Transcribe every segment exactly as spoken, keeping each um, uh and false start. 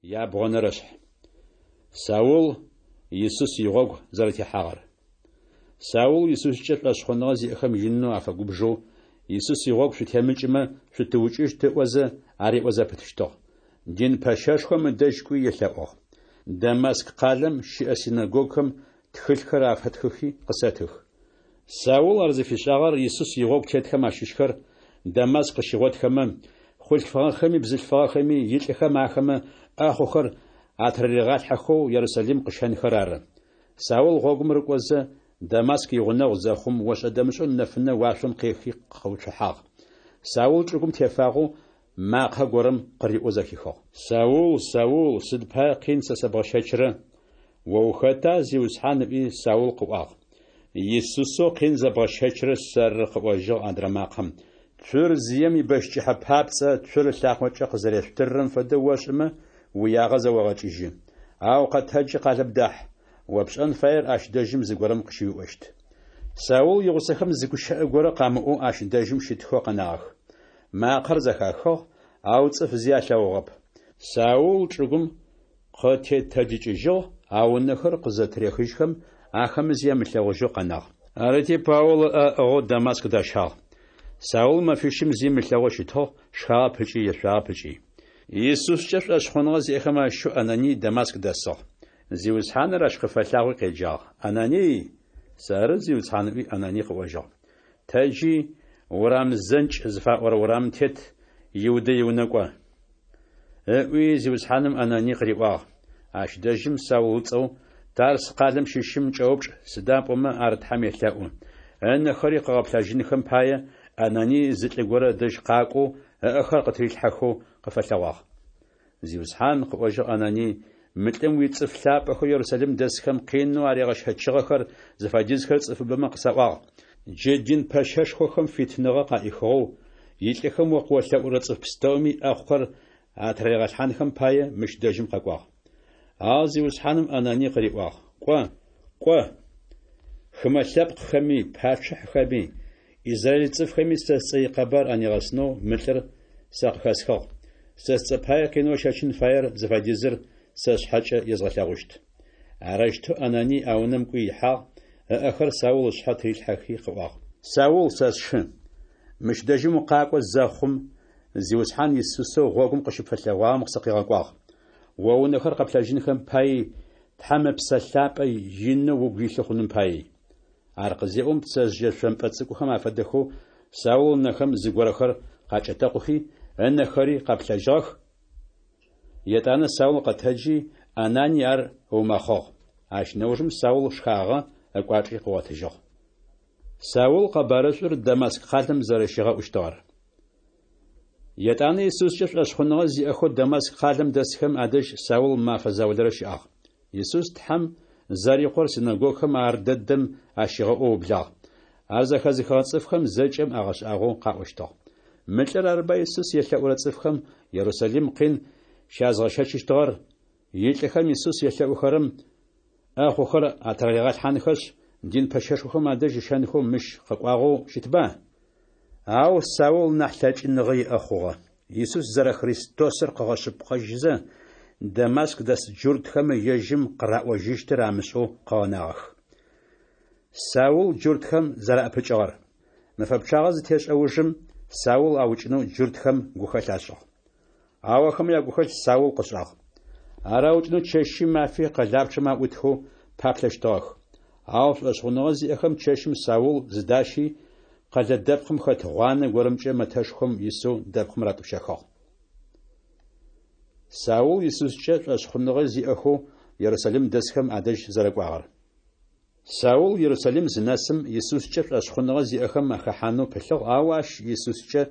Ябгъонэрэшъхь. Саул Исус игъогу зэрэтехьагъэр. Саул Исускӏэ шӏошъхъуныгъэ зиӏэхэм инэу афэгубжэу, Исус игъогу шъутемыкӏымэ, шъутыукӏыщт ыӏозэ, ариӏо зэпытыщтыгъ. Дин пэщэшхом ыдэжь кӏуи елъэӏугъ: «Дамаск къалэм щыӏэ синэгогухэм тхылъхэр афэтхыхи къысэтых». Саул ар зыфишӏагъэр Исус игъогу тетхэм ащыщхэр Дамаск къыщигъотхэмэ, хъулъфыгъэхэми бзылъфыгъэхэми илӏыхэм ахэмэ ӏэхъухэр атырыригъалъхьэхэу Ерусалим къыщэнхэр ары. Саул гъогум рыкӏозэ, Дамаск игъунэгъу зэхъум, ошӏэ-дэмышӏэу нэфынэ уашъом къехи къыуцухьагъ. Саул чӏыгум тефагъэу макъэ горэм къыриӏоу зэхихыгъ: «Саул, Саул, сыд пае къин сэ сэбгъэщэчрэ?» «О ухэта, Зиусхьан?» ыӏуи, Саул къыӏуагъ. «Исусэу къин зэбгъэщэчрэр сэры», къыӏожьыгъ адрэ макъэм. «Цур зием ибэщ кӏыхьэ папцӏэ цур ылъакъокӏэ къызэрешъутыррэм фэдэу ошӏымэ, уиягъэ зэогъэкӏыжьы. Ау къэтэджи къалэм дахь, о пшӏэн фаер ащ дэжьым зыгорэм къыщыуиӏощт». Саул игъусэхэм зы гущыӏэ горэ къамыӏоу ащ дэжьым щытхэу къэнагъэх. Макъэр зэхахыгъ, ау цӏыф зи алъэгъугъэп. Саул чӏыгум къытетэджыкӏыжьыгъ, ау ынэхэр къызэтырехыжьхэм, ахэмэ зи амылъэгъужьэу къэнагъ. Арыти, Паул ыӏэ ыӏыгъэу Дамаск дащагъ. Саул мэфищым зи ымылъэгъоу щытыгъ, шхагъэп ыкӏи ешъуагъэп ыкӏи. Исускӏэ шӏошъхъуныгъэ зиӏэхэм ащыщэу Ананий Дамаск дэсыгъ. Зиусхьаныр ащ къыфэлъагъуи къеджагъ: «Ананий!» «Сэры, Зиусхьан», ыӏуи Ананий къыӏожьыгъ. «Тэджи, урам зэнкӏ зыфаӏорэ урамым тет Иудэ иунэ кӏо», ыӏуи Зиусхьаным Ананий къыриӏуагъ. Ащ дэжьым Саул ыцӏэу Тарс къалэм щыщым кӏэупчӏ, сыда пӏомэ ар Тхьэм елъэӏу. Ынэхэри къыгъэплъэжьынхэм пае Ананий зы лӏы горэ ыдэжь къакӏоу ыӏэхэр къытырилъхьэхэу къыфэлъэгъуагъ. «Зиусхьан, къыӏожьыгъ Ананий, мы лӏым уицӏыф лъапӏэхэу Ерусалим дэсхэм къинэу аригъэщэчыгъэхэр зыфэдизхэр цӏыфыбэмэ къысаӏуагъ. Джы дин пэщэшхохэм фитыныгъэ къаӏихыгъэу, илӏыхэм о къыолъэӏурэ цӏыф пстэуми ӏэхъухэр атыраригъэлъхьанхэм пае мыщ дэжьым къэкӏуагъ». Ау Зиусхьаным Ананий къыриӏуагъ: «Кӏо, кӏо! Хымэ лъэпкъхэми, пачъыхьэхэми, Израиль цӏыфхэми сэ сцӏэ икъэбар анигъэсынэу мы лӏыр сэ къыхэсхыгъ. Сэ сцӏэ пае къинэу ыщэчын фаер зыфэдизыр сэ сшъхьэкӏэ езгъэлъэгъущт». Арэущтэу Ананий а унэм кӏуи ихьагъ, ыӏэхэр Саул ышъхьэ тырилъхьэхи къыӏуагъ: «Саул, сэ сшы, мыщ дэжьым укъакӏо зэхъум, Зиусхьан Исусэу гъогум къыщыпфэлъэгъуагъэм сыкъигъэкӏуагъ. О унэхэр къэплъэжьынхэм паий, Тхьэм Ыпсэ Лъапӏэ инэу угу илъы хъуным паий». Ар къызеӏом пцэжъые шъомпӏэ цӏыкӏухэм афэдэхэу Саул ынэхэм зыгорэхэр къакӏэтэкъухи, ынэхэри къэплъэжьыгъэх. Етӏанэ Саул къэтэджи, Ананий ар ыумэхъыгъ. Ащ нэужым Саул шхагъэ, ыкӏуачӏи къыгъотыжьыгъ. Саул къэбарышӏур Дамаск къалэм зэрэщигъэӏущтыгъэр. Етӏанэ Исускӏэ шӏошъхъуныгъэ зиӏэхэу Дамаск къалэм дэсхэм адэжь Саул мэфэ заулэрэ щыӏагъ. Исус Тхьэм зэрикъор синэгогухэм ар дэдэм ащигъэӏоу ыублагъ. Ар зэхэзыхыгъэ цӏыфхэм зэкӏэм агъэшӏагъоу къаӏощтыгъ: «Мы лӏыр арыба Исус елъэӏурэ цӏыфхэм Ерусалим къин щязгъэщэчыщтыгъэр, илӏыхэм Исус елъэӏухэрэм ӏэхъухэр атыраригъэлъхьанхэшъ, дин пэщэшхохэм адэжь ыщэнхэу мыщ къэкӏуагъэу щытба?» Ау Саул нахь лъэкӏыныгъэ иӏэ хъугъэ. Исус зэрэ Христосыр къыгъэшъыпкъэжьызэ, Дамаск дэс джуртхэм ежьым къыраӏожьыщтыр амышӏэу къыгъэнагъэх. Саул джуртхэм зэраӏэпыкӏыгъэр. Мэфэ пчъагъэ зытешӏэ ужым Саул аукӏынэу джуртхэм гухэлъ ашӏыгъ. Ау ахэмэ ягухэлъ Саул къышӏагъ. Ар аукӏынэу чэщи мафи къэлапчъэм аӏутхэу паплъэщтыгъэх. Ау шӏошъхъуныгъэ зиӏэхэм чэщым Саул зыдащи, къэлэ дэпкъым хэт гъуанэ горэмкӏэ мэтэшхом исэу дэпкъым ратӏупщэхыгъ. Саул Исускӏэ шӏошъхъуныгъэ зиӏэхэу Ерусалим дэсхэм адэжь зэрэкӏуагъэр. Саул Ерусалим зынэсым Исускӏэ шӏошъхъуныгъэ зиӏэхэм ахэхьанэу пылъыгъ, ау ащ Исускӏэ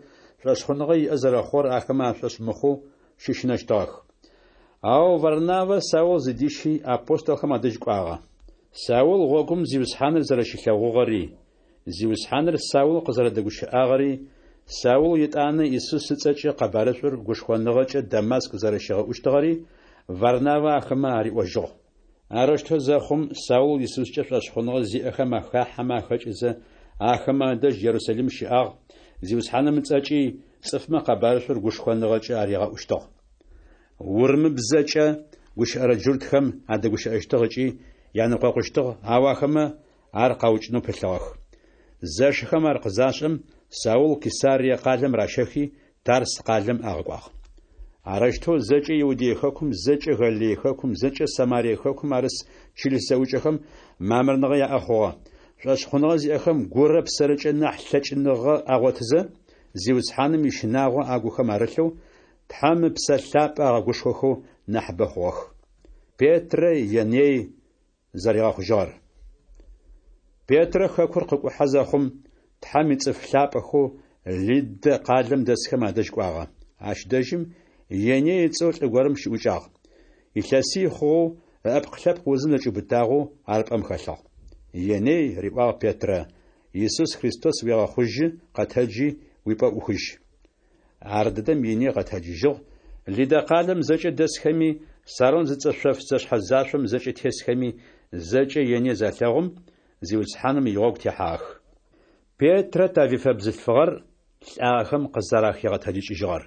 шӏошъхъуныгъэ иӏэ зэрэхъугъэр ахэмэ ашӏошъ мыхъоу щыщынэщтыгъэх. Ау Варнавэ Саул зыдищи апостолхэм адэжь кӏуагъэ. Саул гъогум Зиусхьаныр зэрэщилъэгъугъэри, Зиусхьаныр Саул къызэрэдэгущыӏагъэри, Саул етӏанэ Исус ыцӏэкӏэ къэбарышӏур гушхоныгъэкӏэ Дамаск зэрэщигъэӏущтыгъэри Варнавэ ахэмэ ариӏожьыгъ. Арэущтэу зэхъум Саул Исускӏэ шӏошъхъуныгъэ зиӏэхэм ахахьэмэ ахэкӏызэ, ахэмэ адэжь Ерусалим щыӏагъ, Зиусхьаным ыцӏэкӏи цӏыфмэ къэбарышӏур гушхоныгъэкӏэ аригъэӏущтыгъ. Урымыбзэкӏэ гущыӏэрэ джуртхэм адэгущыӏэщтыгъ ыкӏи янэкъокъущтыгъ, ау ахэмэ ар къаукӏынэу пылъыгъэх. Зэшыхэм ар къызашӏэм, Саул Кесарие къалэм ращэхи, Тарс къалэм агъэкӏуагъ. Арэущтэу зэкӏэ Иудей хэкум, зэкӏэ Галилей хэкум, зэкӏэ Самарие хэкум арыс чылыс зэӏукӏэхэм мамырныгъэ яӏэ хъугъэ. Шӏошъхъуныгъэ зиӏэхэм гурэ псэрэкӏэ нахь лъэкӏыныгъэ агъотызэ, Зиусхьаным ищынагъо агухэм арылъэу, Тхьэм Ыпсэ Лъапӏэ агъэгушхохэу нахьыбэ хъугъэх. Петрэ Еней зэригъэхъужьыгъэр. Петрэ хэкур къыкӏухьэ зэхъум, Тхьэм ицӏыф лъапӏэхэу Лиддэ къалэм дэсхэм адэжь кӏуагъэ. Ащ дэжьым Еней ыцӏэу лӏы горэм щыӏукӏагъ. Илъэсий хъугъэу ыӏэпкълъэпкъ узым зэкӏиубытагъэу ар пӏэм хэлъыгъ. Еней, риӏуагъ Петрэ, Исус Христос уегъэхъужьы, къэтэджи, уипӏэ ӏухыжь. Ардэдэм Еней къэтэджыжьыгъ, Лиддэ къалэм зэкӏэ дэсхэми, Сарон зыцӏэ шъоф зэшъхьэ-зашъом зэкӏэ тесхэми зэкӏэ Еней залъэгъум, Зиусхьаным игъогу техьагъэх. Петрэ Тавифэ бзылъфыгъэр лӏагъэхэм къызэрахигъэтэджыкӏыжьыгъэр.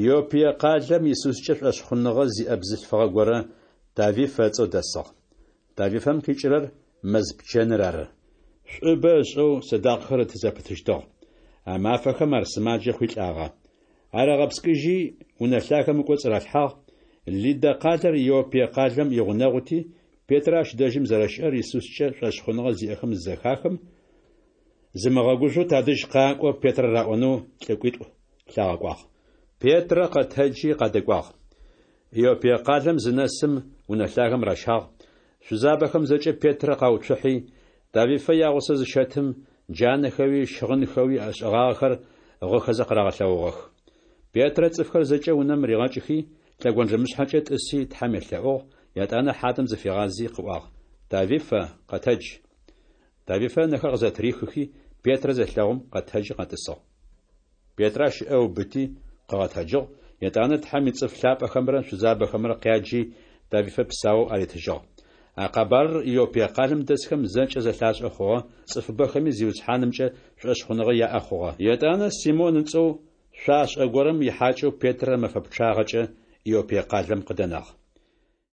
Иоппие къалэм Исускӏэ шӏошъхъуныгъэ зиӏэ бзылъфыгъэ горэ Тавифэ ыцӏэу дэсыгъ. Тавифэм къикӏырэр мэз пчэныр ары. Шӏубэ ышӏэу сэдакъэхэр ыты зэпытыщтыгъ. А мафэхэм ар сымаджэ хъуи лӏагъэ. Ар агъэпскӏыжьи, унэ лъагэм ыкӏоцӏ ралъхьагъ. Лиддэ къалэр Иоппие къалэм игъунэгъути, Петрэ ащ дэжьым зэрэщыӏэр Исускӏэ шӏошъхъуныгъэ зиӏэхэм зызэхахым, Зымыгъэгужъоу тадэжь къакӏо Петрэ раӏонэу лӏыкӏуитӏу лъагъэкӏуагъ. Петрэ къэтэджи къадэкӏуагъ. Иоппие къалэм зынэсым, унэ лъагэм ращагъ. Шъузабэхэм зэкӏэ Петрэ къауцухьи, Тавифэ ягъусэу зыщэтым, джанэхэуи щыгъынхэуи ышӏыгъагъэхэр гъыхэзэ къырагъэлъэгъугъэх. Петрэ цӏыфхэр зэкӏэ унэм ригъэкӏыхи, лъэгонджэмышъхьэкӏэ тӏыси Тхьэм елъэӏугъ, етӏанэ хьадэм зыфигъази къыӏуагъ: Тавифэ, къэтэдж! Тавифэ ынэхэр къызэтырихыхи, Петрэ зелъэгъум, къэтэджи къэтӏысыгъ. Петрэ ащ ыӏэ ыубыти къыгъэтэджыгъ, етӏанэ Тхьэм ицӏыф лъапӏэхэмрэ шъузабэхэмрэ къяджи, Тавифэ псаоу аритыжьыгъ. А къэбарыр Иоппие къалэм дэсхэм зэкӏэ зэлъашӏэ хъугъэ, цӏыфыбэхэми Зиусхьанымкӏэ шӏошъхъуныгъэ яӏэ хъугъэ. Етӏанэ Симон ыцӏэу шъуашӏэ горэм ихьакӏэу Петрэ мэфэ пчъагъэкӏэ Иоппие къалэм къыдэнагъ.